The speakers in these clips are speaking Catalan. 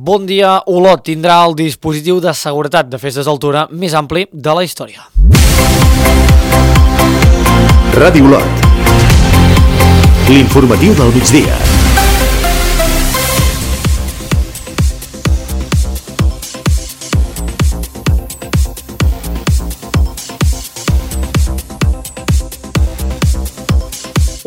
Bon dia, Olot tindrà el dispositiu de seguretat de festes d'altura més ampli de la història. Ràdio Olot. L'informatiu del migdia.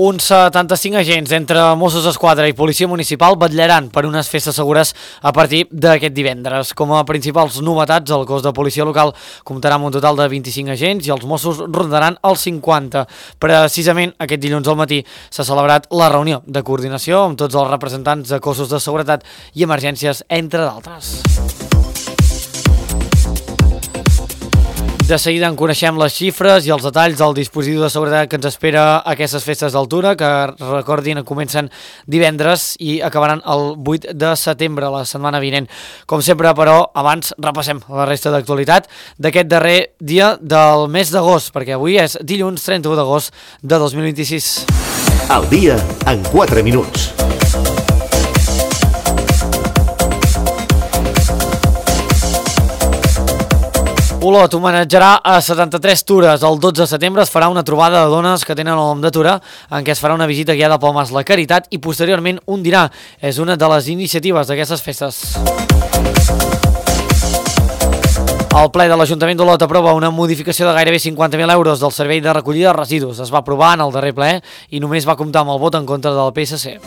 Uns 75 agents entre Mossos d'Esquadra i Policia Municipal vetllaran per unes festes segures a partir d'aquest divendres. Com a principals novetats, el cos de policia local comptarà amb un total de 25 agents i els Mossos rondaran els 50. Precisament aquest dilluns al matí s'ha celebrat la reunió de coordinació amb tots els representants de cossos de seguretat i emergències, entre d'altres. De seguida en coneixem les xifres i els detalls del dispositiu de seguretat que ens espera a aquestes festes d'altura, que recordin comencen divendres i acabaran el 8 de setembre, la setmana vinent. Com sempre, però, abans repassem la resta d'actualitat d'aquest darrer dia del mes d'agost, perquè avui és dilluns 31 d'agost de 2026. El dia en 4 minuts. Olot homenatjarà a 73 Tures. El 12 de setembre es farà una trobada de dones que tenen el nom de Tura, en què es farà una visita guiada pel Mas La Caritat i posteriorment un dinar. És una de les iniciatives d'aquestes festes. El ple de l'Ajuntament d'Olot aprova una modificació de gairebé 50.000 euros del servei de recollida de residus. Es va aprovar en el darrer ple i només va comptar amb el vot en contra del PSC.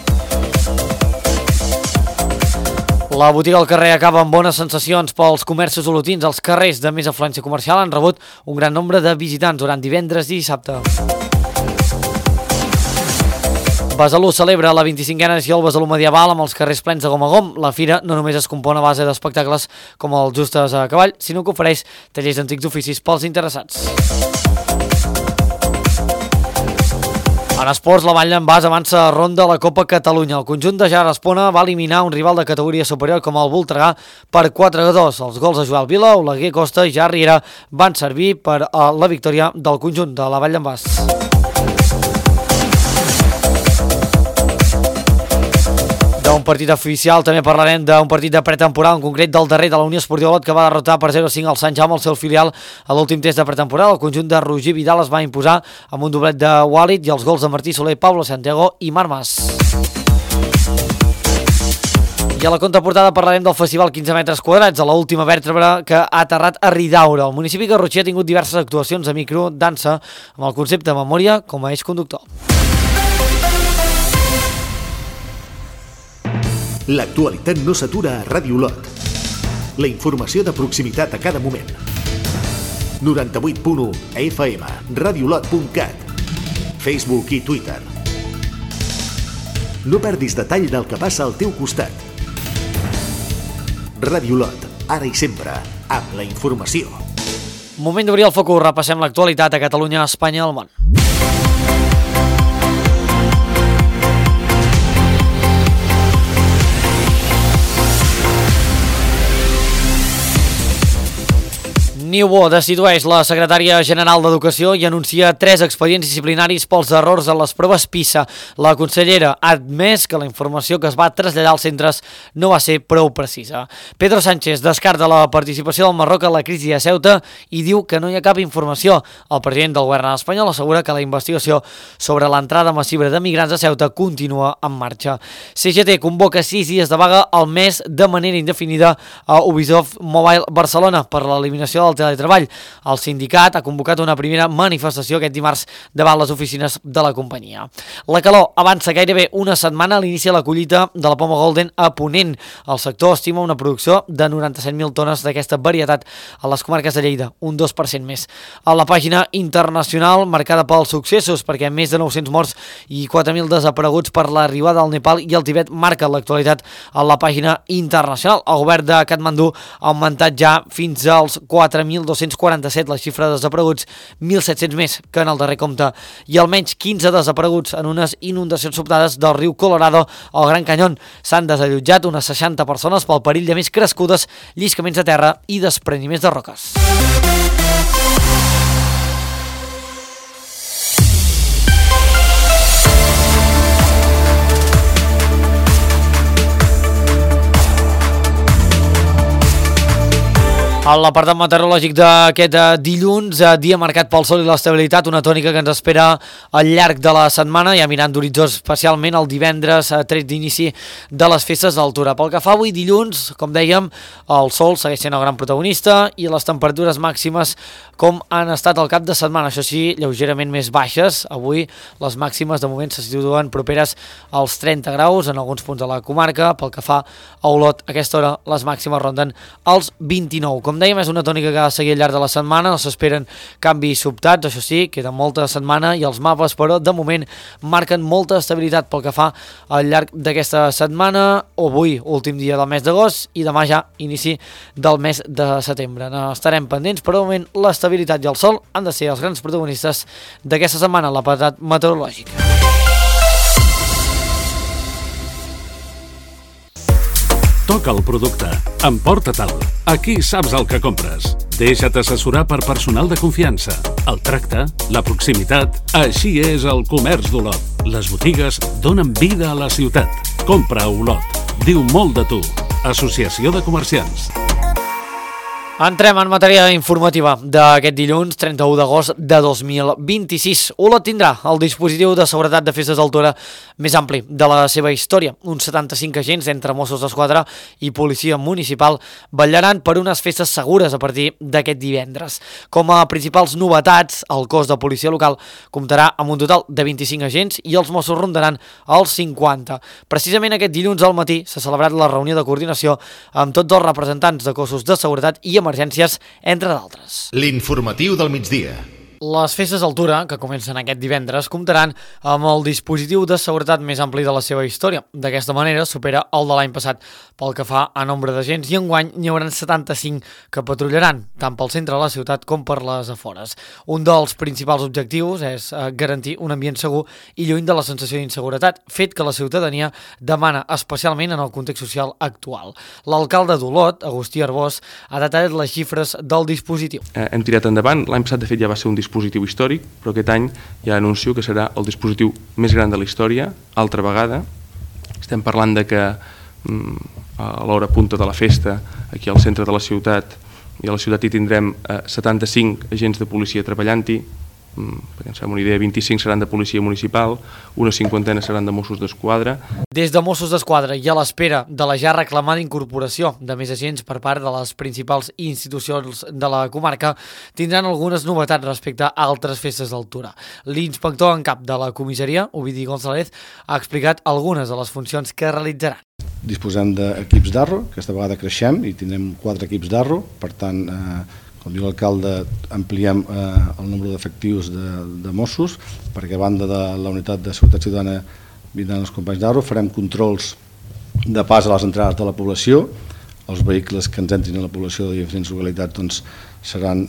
La botiga al carrer acaba amb bones sensacions pels comerços olotins. Els carrers de més afluència comercial han rebut un gran nombre de visitants durant divendres i dissabte. Besalú celebra la 25a edició del Besalú medieval amb els carrers plens de gom a gom. La fira no només es compon a base d'espectacles com els justes a cavall, sinó que ofereix tallers d'antics oficis pels interessats. En esports, la Vall d'en Bas avança a ronda a la Copa Catalunya. El conjunt de Jar Espona va eliminar un rival de categoria superior com el Voltregà per 4-2. Els gols de Joel Vila, Oleguer Costa i Jar Riera van servir per a la victòria del conjunt de la Vall d'en Bas. D'un partit oficial també parlarem d'un partit de pretemporada, en concret del darrer de la Unió Esportiva Olot, que va derrotar per 0-5 al Sant Jaume, el seu filial, a l'últim test de pretemporada. El conjunt de Roger Vidal es va imposar amb un doblet de Walid i els gols de Martí Soler, Pablo Santiago i Marc Mas. I a la contraportada parlarem del Festival 15 metres quadrats, a l'última vèrtebra que ha aterrat a Ridaura. El municipi de Garrotxí ha tingut diverses actuacions de micro, dansa, amb el concepte de memòria com a eix conductor. L'actualitat no s'atura a Ràdio Olot. La informació de proximitat a cada moment. 98.1 FM, radiolot.cat, Facebook i Twitter. No perdis detall del que passa al teu costat. Ràdio Olot, ara i sempre, amb la informació. Moment d'obrir el focus, repassem l'actualitat a Catalunya, Espanya i el món. Niubó destitueix la secretària general d'Educació i anuncia 3 expedients disciplinaris pels errors en les proves PISA. La consellera ha admès que la informació que es va traslladar als centres no va ser prou precisa. Pedro Sánchez descarta la participació del Marroc en la crisi de Ceuta i diu que no hi ha cap informació. El president del govern espanyol assegura que la investigació sobre l'entrada massiva de migrants a Ceuta continua en marxa. CGT convoca 6 dies de vaga al mes de manera indefinida a Ubisoft Mobile Barcelona per l'eliminació del teletreball. El sindicat ha convocat una primera manifestació aquest dimarts davant les oficines de la companyia. La calor avança gairebé una setmana a l'inici de la collita de la poma Golden a Ponent. El sector estima una producció de 97.000 tones d'aquesta varietat a les comarques de Lleida, un 2% més. A la pàgina internacional marcada pels successos, perquè més de 900 morts i 4.000 desapareguts per l'arribada al Nepal i el Tibet marca l'actualitat a la pàgina internacional. El govern de Katmandú ha augmentat ja fins als 4.247 la xifra de desapareguts, 1.700 més que en el darrer compte, i almenys 15 desapareguts en unes inundacions sobtades del riu Colorado al Gran Canyón. S'han desallotjat unes 60 persones pel perill de més crescudes, lliscaments de terra i despreniments de roques. A l'apartat meteorològic d'aquest dilluns, dia marcat pel sol i l'estabilitat, una tònica que ens espera al llarg de la setmana, ja mirant d'horitzó especialment el divendres, tret d'inici de les festes d'altura. Pel que fa avui dilluns, com dèiem, el sol segueix sent el gran protagonista i les temperatures màximes com han estat al cap de setmana, això sí, lleugerament més baixes. Avui les màximes de moment se situen properes als 30 graus en alguns punts de la comarca. Pel que fa a Olot, a aquesta hora les màximes ronden els 29. Com dèiem, és una tònica que ha de seguir al llarg de la setmana, no s'esperen canvis sobtats, això sí, queda molta setmana i els mapes, però de moment marquen molta estabilitat pel que fa al llarg d'aquesta setmana, avui últim dia del mes d'agost i demà ja inici del mes de setembre. Estarem pendents, però de moment l'estabilitat i el sol han de ser els grans protagonistes d'aquesta setmana a l'apartat meteorològic. Toca el producte, emporta-te'l. Aquí saps el que compres. Deixa't assessorar per personal de confiança. El tracte, la proximitat, així és el comerç d'Olot. Les botigues donen vida a la ciutat. Compra a Olot. Diu molt de tu. Associació de Comerciants. Entrem en matèria informativa d'aquest dilluns, 31 d'agost de 2026. Olot tindrà el dispositiu de seguretat de festes d'altura més ampli de la seva història. Uns 75 agents entre Mossos d'Esquadra i Policia Municipal vetllaran per unes festes segures a partir d'aquest divendres. Com a principals novetats, el cos de policia local comptarà amb un total de 25 agents i els Mossos rondaran els 50. Precisament aquest dilluns al matí s'ha celebrat la reunió de coordinació amb tots els representants de cossos de seguretat i emergències, entre d'altres. L'informatiu del migdia. Les festes d'altura, que comencen aquest divendres, comptaran amb el dispositiu de seguretat més ampli de la seva història. D'aquesta manera supera el de l'any passat pel que fa a nombre d'agents i enguany n'hi haurà 75 que patrullaran, tant pel centre de la ciutat com per les afores. Un dels principals objectius és garantir un ambient segur i lluny de la sensació d'inseguretat, fet que la ciutadania demana especialment en el context social actual. L'alcalde d'Olot, Agustí Arbós, ha detallat les xifres del dispositiu. Hem tirat endavant, l'any passat de fet ja va ser un dispositiu històric, però aquest any ja anuncio que serà el dispositiu més gran de la història, altra vegada. Estem parlant de que a l'hora punta de la festa, aquí al centre de la ciutat, i a la ciutat hi tindrem 75 agents de policia treballant-hi, perquè ens fem una idea, 25 seran de policia municipal, una cinquantena seran de Mossos d'Esquadra. Des de Mossos d'Esquadra i a l'espera de la ja reclamada incorporació de més agents per part de les principals institucions de la comarca, tindran algunes novetats respecte a altres festes d'altura. L'inspector en cap de la comissaria, Ovidi González, ha explicat algunes de les funcions que realitzaran. Disposem d'equips d'arro, aquesta vegada creixem i tindrem 4 equips d'arro, per tant, com diu l'alcalde, ampliem el nombre d'efectius de Mossos, perquè a banda de la unitat de seguretat ciutadana vindran els companys d'Arro, farem controls de pas a les entrades de la població, els vehicles que ens entrin a la població de diferents localitats doncs, seran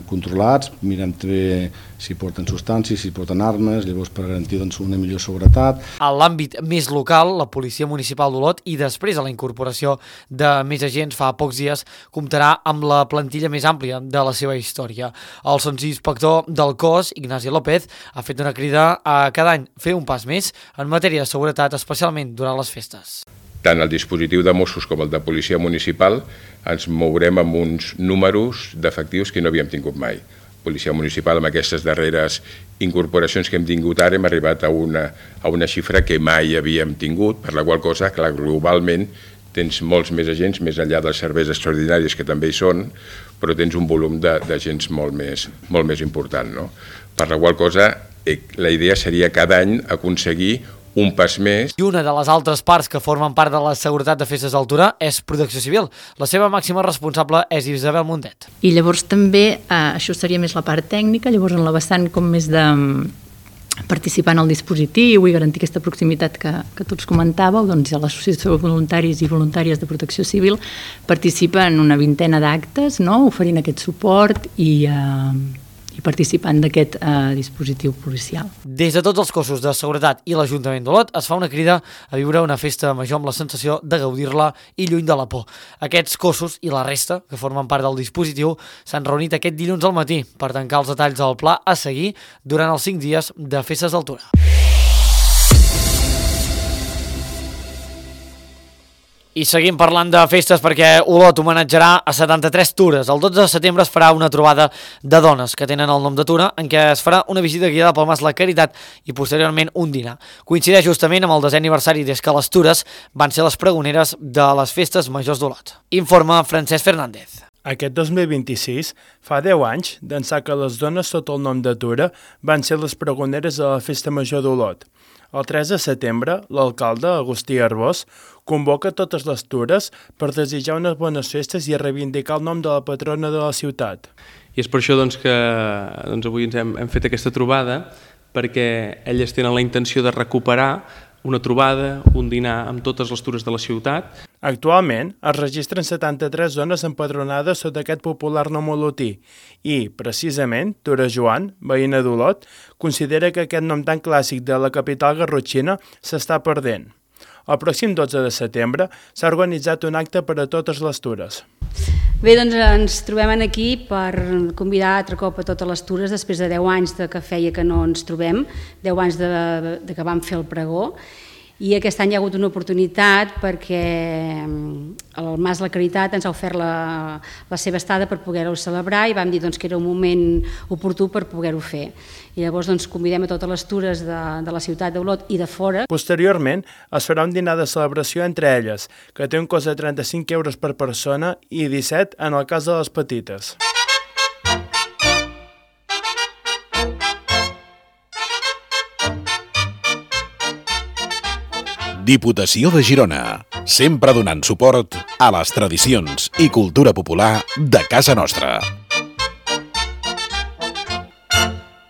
controlats, mirem també si porten substàncies, si porten armes, llavors per garantir doncs, una millor seguretat. A l'àmbit més local, la Policia Municipal d'Olot i després de la incorporació de més agents fa pocs dies comptarà amb la plantilla més àmplia de la seva història. El sotsinspector del cos, Ignasi López, ha fet una crida a cada any fer un pas més en matèria de seguretat, especialment durant les festes. Tant el dispositiu de Mossos com el de Policia Municipal ens mourem amb uns números d'efectius que no havíem tingut mai. Policia Municipal, amb aquestes darreres incorporacions que hem tingut ara, hem arribat a una xifra que mai havíem tingut, per la qual cosa, clar, globalment tens molts més agents, més enllà dels serveis extraordinaris que també hi són, però tens un volum d'agents molt més important, no? Per la qual cosa, la idea seria cada any aconseguir un pas més. I una de les altres parts que formen part de la seguretat de festes d'altura és Protecció Civil. La seva màxima responsable és Isabel Mundet. I llavors també, això seria més la part tècnica, llavors en la vessant com més de participar en el dispositiu i garantir aquesta proximitat que tots comentàveu, doncs l'Associació de Voluntaris i Voluntàries de Protecció Civil participa en una vintena d'actes, no? Oferint aquest suport i participant d'aquest dispositiu policial. Des de tots els cossos de seguretat i l'Ajuntament d'Olot es fa una crida a viure una festa major amb la sensació de gaudir-la i lluny de la por. Aquests cossos i la resta, que formen part del dispositiu, s'han reunit aquest dilluns al matí per tancar els detalls del pla a seguir durant els 5 dies de festes d'altura. I seguim parlant de festes perquè Olot homenatjarà a 73 tures. El 12 de setembre es farà una trobada de dones que tenen el nom de tura, en què es farà una visita guiada pel Mas La Caritat i posteriorment un dinar. Coincideix justament amb el 10è aniversari des que les tures van ser les pregoneres de les festes majors d'Olot. Informa Francesc Fernández. Aquest 2026 fa 10 anys d'ençà que les dones sota el nom de Tura van ser les pregoneres de la Festa Major d'Olot. El 3 de setembre, l'alcalde, Agustí Arbós, convoca totes les tures per desitjar unes bones festes i a reivindicar el nom de la patrona de la ciutat. I és per això que avui ens hem fet aquesta trobada, perquè elles tenen la intenció de recuperar una trobada, un dinar amb totes les tures de la ciutat. Actualment es registren 73 zones empadronades sota aquest popular nom olotí i, precisament, Tura Joan, veïna d'Olot, considera que aquest nom tan clàssic de la capital garrotxina s'està perdent. El pròxim 12 de setembre s'ha organitzat un acte per a totes les tures. Bé, doncs ens trobem aquí per convidar altre cop a totes les tures després de 10 anys que feia que no ens trobem, 10 anys de que vam fer el pregó, i aquest any hi ha hagut una oportunitat perquè el Mas La Caritat ens ha ofert la seva estada per poder-ho celebrar i vam dir que era un moment oportú per poder-ho fer. I llavors convidem a totes les tures de la ciutat d'Olot i de fora. Posteriorment es farà un dinar de celebració entre elles, que té un cost de 35 euros per persona i 17 en el cas de les petites. Diputació de Girona, sempre donant suport a les tradicions i cultura popular de casa nostra.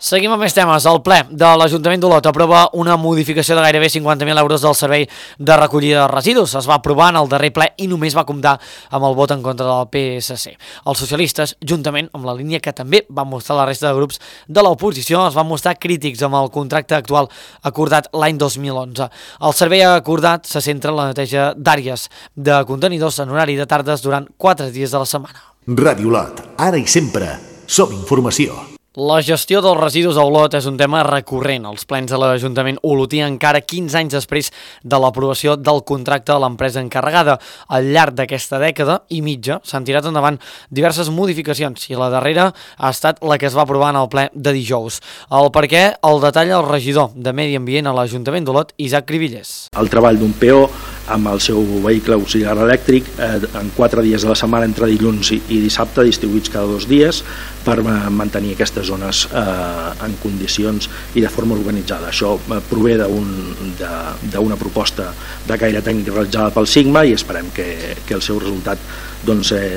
Seguim amb més temes. El ple de l'Ajuntament d'Olot aprova una modificació de gairebé 50.000 euros del servei de recollida de residus. Es va aprovar en el darrer ple i només va comptar amb el vot en contra del PSC. Els socialistes, juntament amb la línia que també van mostrar la resta de grups de l'oposició, es van mostrar crítics amb el contracte actual acordat l'any 2011. El servei acordat se centra en la neteja d'àrees de contenidors en horari de tardes durant 4 dies de la setmana. Ràdio Olot, ara i sempre, som informació. La gestió dels residus a Olot és un tema recurrent als plens de l'Ajuntament olotí encara 15 anys després de l'aprovació del contracte de l'empresa encarregada. Al llarg d'aquesta dècada i mitja s'han tirat endavant diverses modificacions i la darrera ha estat la que es va aprovar en el ple de dijous. El perquè el detalla el regidor de Medi Ambient a l'Ajuntament d'Olot, Isaac Cribillers. El treball d'un PO amb el seu vehicle auxiliar elèctric en 4 dies de la setmana entre dilluns i dissabte, distribuïts cada 2 dies, per mantenir aquestes zones en condicions i de forma organitzada. Això prové d'una proposta de caire tècnic realitzada pel Sigma i esperem que el seu resultat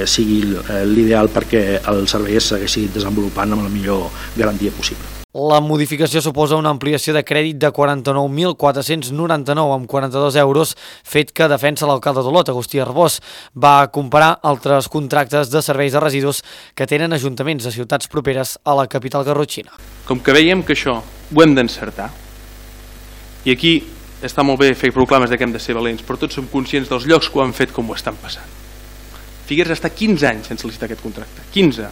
sigui l'ideal perquè el servei es segueixi desenvolupant amb la millor garantia possible. La modificació suposa una ampliació de crèdit de 49.499 amb 42 euros, fet que defensa l'alcalde d'Olot, Agustí Arbós. Va comparar altres contractes de serveis de residus que tenen ajuntaments de ciutats properes a la capital garrotxina. Com que veiem que això ho hem d'encertar, i aquí està molt bé fer proclames que hem de ser valents, però tots som conscients dels llocs que ho han fet com ho estan passant. Figueres està 15 anys sense licitar aquest contracte, 15.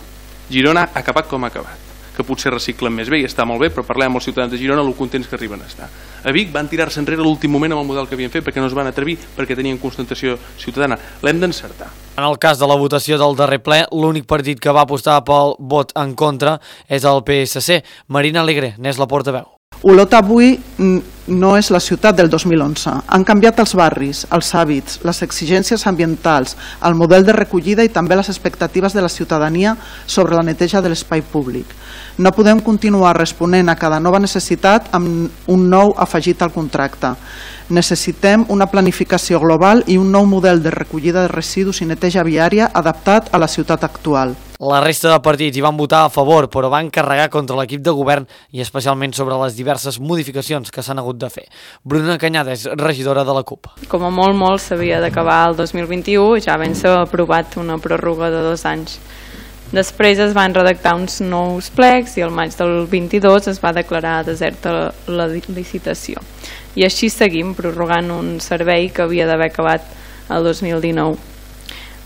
Girona ha acabat com ha acabat, que potser reciclen més bé i està molt bé, però parlem amb els ciutadans de Girona, lo contents que arriben a estar. A Vic van tirar-se enrere l'últim moment amb el model que havien fet perquè no es van atrevir, perquè tenien constatació ciutadana. L'hem d'encertar. En el cas de la votació del darrer ple, l'únic partit que va apostar pel vot en contra és el PSC. Marina Alegre n'és la portaveu. Olot avui no és la ciutat del 2011. Han canviat els barris, els hàbits, les exigències ambientals, el model de recollida i també les expectatives de la ciutadania sobre la neteja de l'espai públic. No podem continuar responent a cada nova necessitat amb un nou afegit al contracte. Necessitem una planificació global i un nou model de recollida de residus i neteja viària adaptat a la ciutat actual. La resta de partits hi van votar a favor, però van carregar contra l'equip de govern i especialment sobre les diverses modificacions que s'han hagut de fer. Bruna Canyada és regidora de la CUP. Com a molt s'havia d'acabar el 2021 i ja ben s'ha aprovat una pròrroga de 2 anys. Després es van redactar uns nous plecs i al maig del 22 es va declarar deserta la licitació. I així seguim prorrogant un servei que havia d'haver acabat el 2019,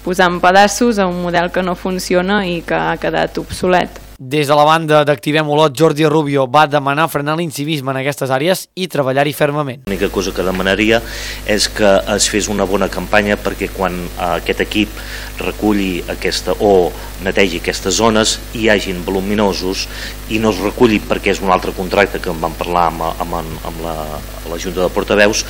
posant pedaços a un model que no funciona i que ha quedat obsolet. Des de la banda d'Activem Olot, Jordi Rubio va demanar frenar l'incivisme en aquestes àrees i treballar-hi fermament. L'única cosa que demanaria és que es fes una bona campanya perquè quan aquest equip reculli o netegi aquestes zones hi hagin voluminosos i no es reculli perquè és un altre contracte que en vam parlar amb la Junta de Portaveus.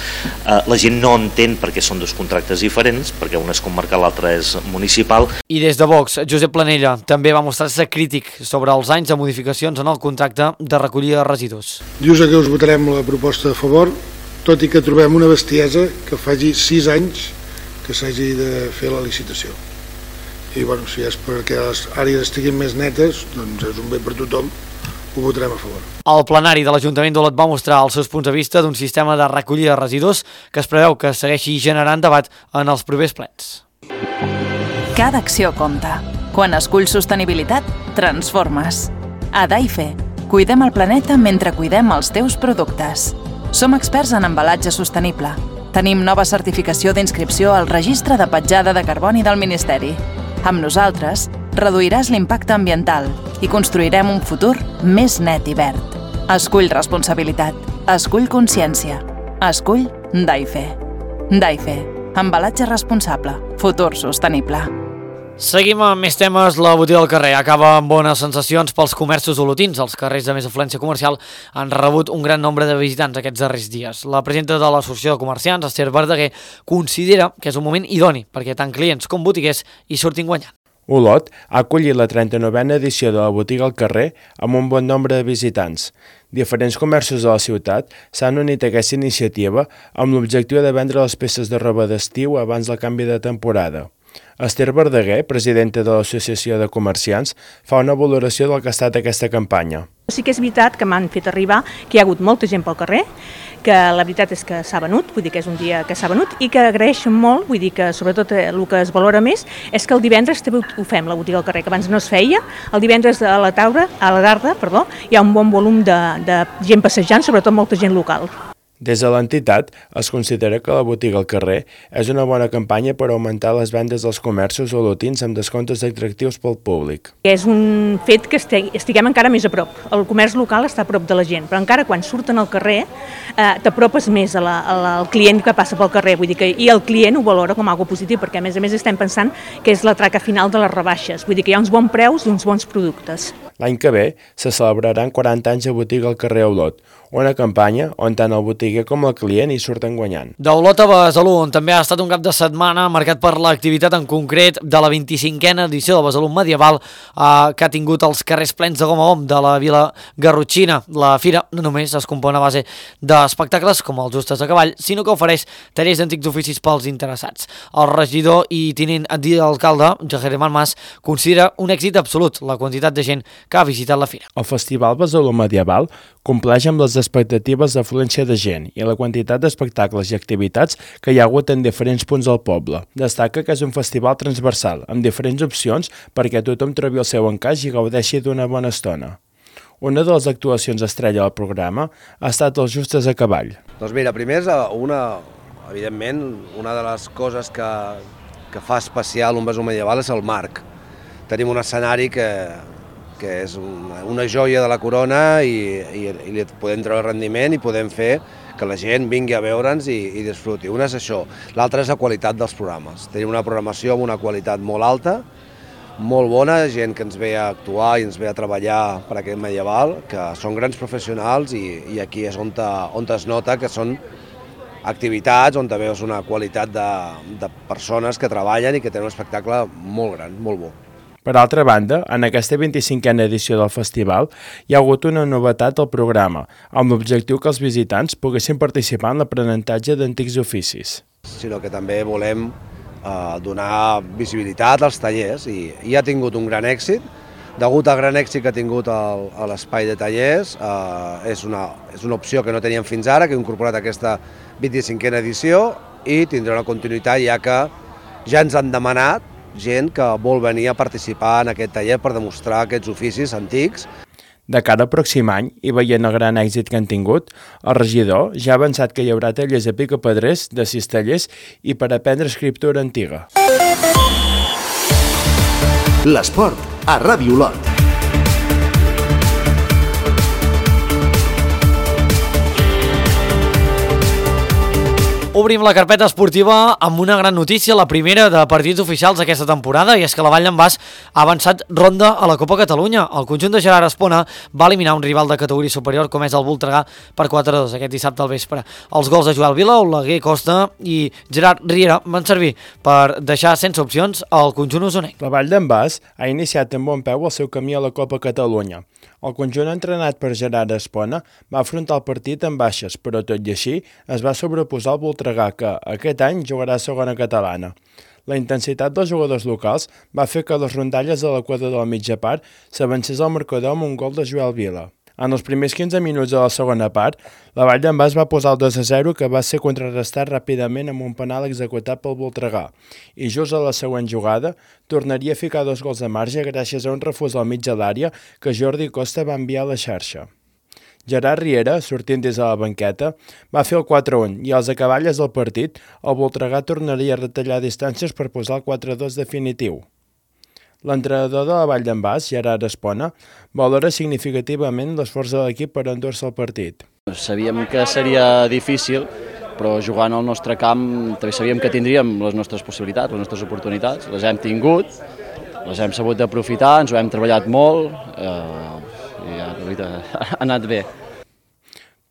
La gent no entén perquè són dos contractes diferents, perquè un és comarcal, l'altre és municipal. I des de Vox, Josep Planella també va mostrar-se crític sobre els anys de modificacions en el contracte de recollida de residus. Dius que us votarem la proposta a favor, tot i que trobem una bestiesa que faci 6 anys que s'hagi de fer la licitació. I bueno, si és perquè les àrees estiguin més netes, doncs és un bé per tothom, ho votarem a favor. El plenari de l'Ajuntament d'Olot va mostrar els seus punts de vista d'un sistema de recollida de residus que es preveu que segueixi generant debat en els propers plens. Cada acció compta. Quan esculls sostenibilitat, transformes. A Daife, cuidem el planeta mentre cuidem els teus productes. Som experts en embalatge sostenible. Tenim nova certificació d'inscripció al Registre de Petjada de Carboni del Ministeri. Amb nosaltres, reduiràs l'impacte ambiental i construirem un futur més net i verd. Escull responsabilitat. Escull consciència. Escull Daife. Daife. Embalatge responsable. Futur sostenible. Seguim amb més temes. La botiga del carrer acaba amb bones sensacions pels comerços olotins. Els carrers de més afluència comercial han rebut un gran nombre de visitants aquests darrers dies. La presidenta de l'Associació de Comerciants, Esther Verdaguer, considera que és un moment idoni perquè tant clients com botiguers hi surtin guanyant. Olot ha acollit la 39a edició de la botiga al carrer amb un bon nombre de visitants. Diferents comerços de la ciutat s'han unit a aquesta iniciativa amb l'objectiu de vendre les peces de roba d'estiu abans del canvi de temporada. Esther Verdaguer, presidenta de l'Associació de Comerciants, fa una valoració del que ha estat aquesta campanya. Sí que és veritat que m'han fet arribar que hi ha hagut molta gent pel carrer, que la veritat és que s'ha venut, vull dir que és un dia que s'ha venut i que agraeixen molt, vull dir que sobretot el que es valora més és que el divendres també ho fem, la botiga al carrer, que abans no es feia, el divendres a la tarda, hi ha un bon volum de gent passejant, sobretot molta gent local. Des de l'entitat es considera que la botiga al carrer és una bona campanya per augmentar les vendes dels comerços olotins amb descomptes atractius pel públic. És un fet que estiguem encara més a prop. El comerç local està a prop de la gent, però encara quan surten al carrer t'apropes més al client que passa pel carrer, vull dir que i el client ho valora com algo positiu, perquè a més estem pensant que és la traca final de les rebaixes, vull dir que hi ha uns bons preus i uns bons productes. L'any que ve se celebraran 40 anys de botiga al carrer Olot, una campanya on tant el botiguer com el client hi surten guanyant. D'Olot a Besalú, on també ha estat un cap de setmana marcat per l'activitat en concret de la 25a edició del Besalú Medieval que ha tingut els carrers plens de gom a gom de la vila garrotxina. La fira no només es compon a base d'espectacles com els justes a cavall, sinó que ofereix tallers d'antics oficis pels interessats. El regidor i tinent d'alcalde, Germán Mas, considera un èxit absolut la quantitat de gent que ha visitat la fira. El Festival Besalú Medieval compleix amb les expectatives d'afluència de gent i la quantitat d'espectacles i activitats que hi ha hagut en diferents punts del poble. Destaca que és un festival transversal, amb diferents opcions perquè tothom trobi el seu encaix i gaudeixi d'una bona estona. Una de les actuacions estrella del programa ha estat els justes a cavall. Doncs mira, primer és evidentment, una de les coses que fa especial un Besalú Medieval és el marc. Tenim un escenari que és una joia de la corona i li podem treure rendiment i podem fer que la gent vingui a veure'ns i disfruti. Una és això, l'altra és la qualitat dels programes. Tenim una programació amb una qualitat molt alta, molt bona, gent que ens ve a actuar i ens ve a treballar per aquest medieval, que són grans professionals i aquí és on es nota que són activitats on veus una qualitat de persones que treballen i que tenen un espectacle molt gran, molt bo. Per altra banda, en aquesta 25a edició del festival hi ha hagut una novetat al programa, amb l'objectiu que els visitants poguessin participar en l'aprenentatge d'antics oficis. Sinó que també volem donar visibilitat als tallers i ha tingut un gran èxit. Degut al gran èxit que ha tingut a l'espai de tallers, és una opció que no teníem fins ara, que hem incorporat aquesta 25a edició i tindrà una continuïtat ja que ja ens han demanat gent que vol venir a participar en aquest taller per demostrar aquests oficis antics. De cara al pròxim any, i veient el gran èxit que han tingut, el regidor ja ha avançat que hi haurà tallers a picapedrers de cistellers i per aprendre escriptura antiga. L'esport a Ràdio Olot. Obrim la carpeta esportiva amb una gran notícia, la primera de partits oficials d'aquesta temporada, i és que la Vall d'en Bas ha avançat ronda a la Copa Catalunya. El conjunt de Gerard Espona va eliminar un rival de categoria superior com és el Voltregà per 4-2 aquest dissabte al vespre. Els gols de Joel Vila, Oleguer Costa i Gerard Riera van servir per deixar sense opcions al conjunt usonenc. La Vall d'en Bas ha iniciat amb bon peu el seu camí a la Copa Catalunya. El conjunt entrenat per Gerard Espona va afrontar el partit amb baixes, però tot i així es va sobreposar al Voltregà, que aquest any jugarà a segona catalana. La intensitat dels jugadors locals va fer que les rondalles de l'equador de la mitja part s'avancés al marcador amb un gol de Joel Vila. En els primers 15 minuts de la segona part, la Vall d'en Bas va posar el 2-0, que va ser contrarrestat ràpidament amb un penal executat pel Voltregà. I just a la següent jugada tornaria a ficar 2 gols de marge gràcies a un refús al mig de l'àrea que Jordi Costa va enviar a la xarxa. Gerard Riera, sortint des de la banqueta, va fer el 4-1 i als acaballes del partit el Voltregà tornaria a retallar distàncies per posar el 4-2 definitiu. L'entrenador de la Vall d'en Bas, Gerard Espona, valora significativament l'esforç de l'equip per endur-se el partit. Sabíem que seria difícil, però jugant al nostre camp també sabíem que tindríem les nostres possibilitats, les nostres oportunitats. Les hem tingut, les hem sabut aprofitar, ens ho hem treballat molt, i ha anat bé.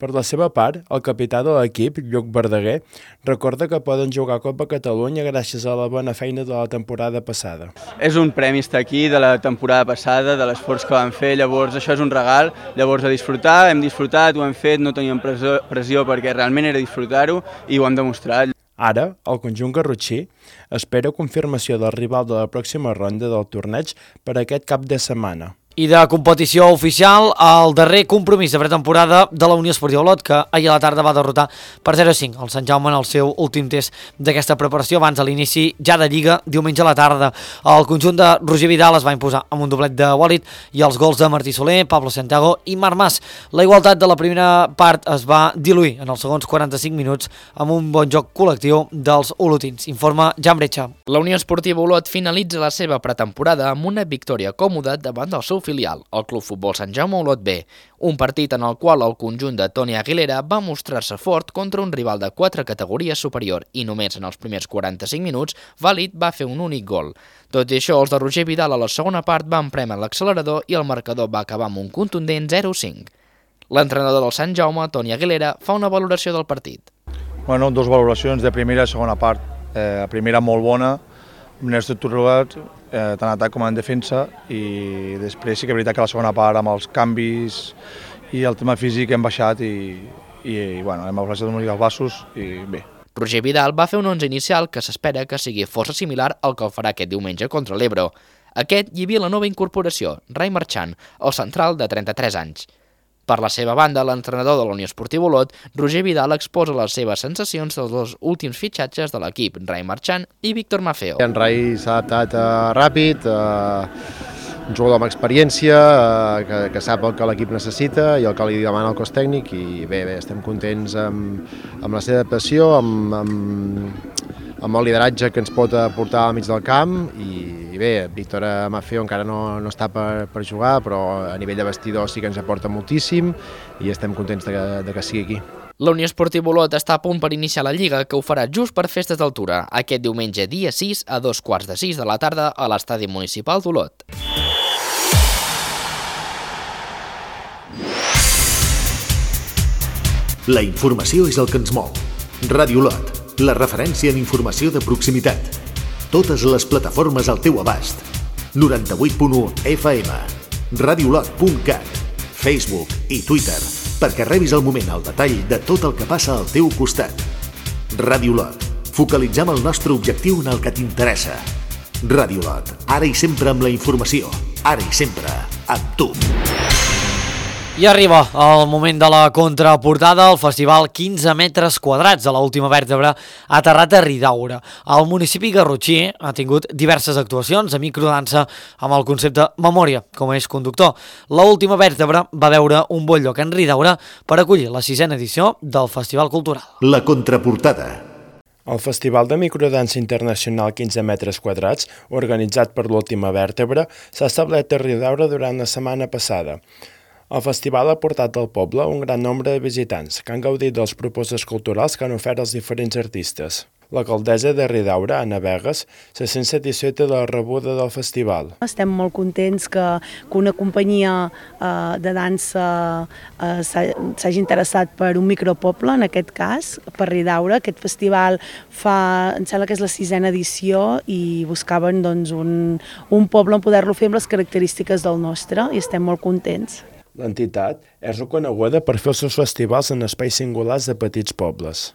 Per la seva part, el capità de l'equip, Lluc Verdaguer, recorda que poden jugar a Copa Catalunya gràcies a la bona feina de la temporada passada. És un premi estar aquí de la temporada passada, de l'esforç que vam fer, llavors això és un regal, llavors a disfrutar, hem disfrutat, ho hem fet, no teníem pressió perquè realment era disfrutar-ho i ho hem demostrat. Ara, el conjunt garrotxí espera confirmació del rival de la pròxima ronda del torneig per aquest cap de setmana. I de competició oficial, el darrer compromís de pretemporada de la Unió Esportiva Olot, que ahir a la tarda va derrotar per 0-5 el Sant Jaume en el seu últim test d'aquesta preparació abans de l'inici ja de Lliga diumenge a la tarda. El conjunt de Roger Vidal es va imposar amb un doblet de Walid i els gols de Martí Soler, Pablo Santiago i Marc Mas. La igualtat de la primera part es va diluir en els segons 45 minuts amb un bon joc col·lectiu dels olotins, informa Jan Bretxa. La Unió Esportiva Olot finalitza la seva pretemporada amb una victòria còmoda davant del seu filial, el Club Futbol Sant Jaume Olot B, un partit en el qual el conjunt de Toni Aguilera va mostrar-se fort contra un rival de 4 categories superior i només en els primers 45 minuts Valid va fer un únic gol. Tot i això, els de Roger Vidal a la segona part van prémer l'accelerador i el marcador va acabar amb un contundent 0-5. L'entrenador del Sant Jaume, Toni Aguilera, fa una valoració del partit. Bueno, 2 valoracions de primera i segona part. La primera molt bona, ben estructurat, tant en atac com en defensa, i després sí que és veritat que la segona part amb els canvis i el tema físic hem baixat i bueno, hem afluixat una mica els passos i bé. Roger Vidal va fer un 11 inicial que s'espera que sigui força similar al que el farà aquest diumenge contra l'Ebro. Aquest hi havia la nova incorporació, Rai Marchant, el central de 33 anys. Per la seva banda, l'entrenador de la Unió Esportiva Olot, Roger Vidal, exposa les seves sensacions dels 2 últims fitxatges de l'equip, Rai Marchant i Víctor Mafeo. En Rai s'ha adaptat ràpid, un jugador amb experiència, que sap el que l'equip necessita i el que li demana el cos tècnic, i bé, estem contents amb la seva adaptació, amb el lideratge que ens pot aportar al mig del camp, i bé, Víctor Mafeo encara no està per jugar, però a nivell de vestidor sí que ens aporta moltíssim i estem contents de que sigui aquí. La Unió Esportiva Olot està a punt per iniciar la Lliga, que ho farà just per festes d'altura, aquest diumenge dia 6 a 2:15 de la tarda a l'Estadi Municipal d'Olot. La informació és el que ens mou. Ràdio Olot, la referència en informació de proximitat. Totes les plataformes al teu abast. 98.1 FM, radiolot.cat, Facebook i Twitter, perquè rebis al moment el detall de tot el que passa al teu costat. Ràdio Olot, focalitzem el nostre objectiu en el que t'interessa. Ràdio Olot, ara i sempre amb la informació, ara i sempre amb tu. I arriba el moment de la contraportada. El festival 15 metres quadrats de l'última vèrtebra ha aterrat a Ridaura. El municipi garrotxí ha tingut diverses actuacions de microdansa amb el concepte Memòria com a eix conductor. L'última vèrtebra va veure un bon lloc en Ridaura per acollir la 6ª edició del Festival Cultural. La contraportada. El Festival de Microdansa Internacional 15 metres quadrats, organitzat per l'última vèrtebra, s'ha establert a Ridaura durant la setmana passada. El festival ha portat al poble un gran nombre de visitants que han gaudit de les propostes culturals que han ofert els diferents artistes. L'alcaldessa de Ridaura, Anna Vegas, se sent satisfeta de la rebuda del festival. Estem molt contents que una companyia de dansa s'hagi interessat per un micropoble, en aquest cas, per Ridaura. Aquest festival em sembla que és la 6ª edició i buscaven un poble on poder-lo fer amb les característiques del nostre i estem molt contents. L'entitat és reconeguda per fer els seus festivals en espais singulars de petits pobles.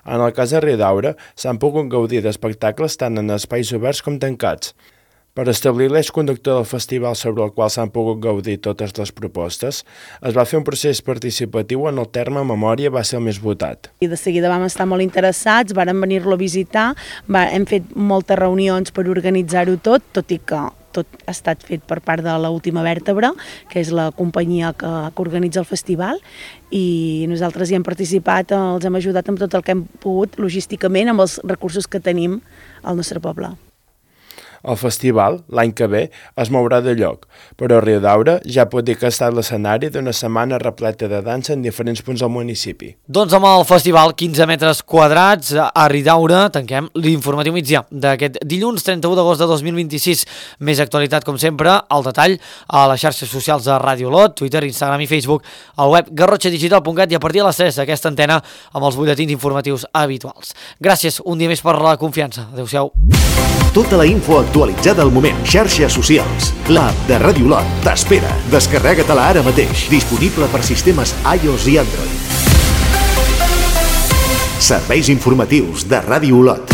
En el cas de Ridaura, s'han pogut gaudir d'espectacles tant en espais oberts com tancats. Per establir l'eix conductor del festival sobre el qual s'han pogut gaudir totes les propostes, es va fer un procés participatiu on el terme memòria va ser el més votat. I de seguida vam estar molt interessats, vàrem venir-lo a visitar, hem fet moltes reunions per organitzar-ho tot i que tot ha estat fet per part de l'Última Vèrtebra, que és la companyia que organitza el festival, i nosaltres hi hem participat, els hem ajudat amb tot el que hem pogut logísticament amb els recursos que tenim al nostre poble. El festival, l'any que ve, es mourà de lloc, però Ridaura ja pot dir que ha estat l'escenari d'una setmana repleta de dansa en diferents punts del municipi. Doncs amb el festival 15 metres quadrats a Ridaura tanquem l'informatiu migdia d'aquest dilluns 31 d'agost de 2026. Més actualitat, com sempre, al detall a les xarxes socials de Ràdio Olot, Twitter, Instagram i Facebook, al web garrotxadigital.cat i a partir de les 3 aquesta antena amb els butlletins informatius habituals. Gràcies un dia més per la confiança. Adéu-siau. Tota la info actualitzada al moment. Xarxes socials. L'app de Ràdio Olot t'espera. Descarrega-te-la ara mateix. Disponible per sistemes iOS i Android. Serveis informatius de Ràdio Olot.